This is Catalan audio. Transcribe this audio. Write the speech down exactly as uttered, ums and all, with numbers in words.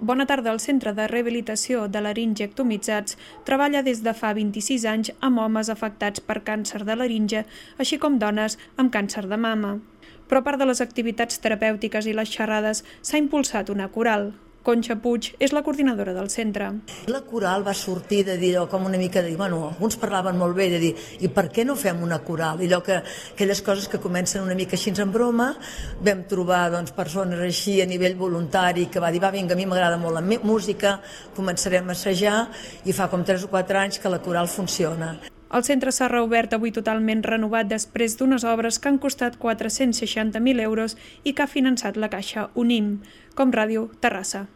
Bona tarda. El Centre de Rehabilitació de Laringe Ectomitzats treballa des de fa vint-i-sis anys amb homes afectats per càncer de laringe, així com dones amb càncer de mama. Però a part de les activitats terapèutiques i les xerrades, s'ha impulsat una coral. Conxa Puig és la coordinadora del centre. La coral va sortir de dir, com una mica de dir, bueno, alguns parlaven molt bé de dir, i per què no fem una coral? I allò que, aquelles coses que comencen una mica així en broma, vam trobar doncs, persones així a nivell voluntari que va dir, va, vinga, a mi m'agrada molt la música, començarem a assajar, i fa com tres o quatre anys que la coral funciona. El centre s'ha reobert avui totalment renovat després d'unes obres que han costat quatre-cents seixanta mil euros i que ha finançat la Caixa Unim. Com Ràdio, Terrassa.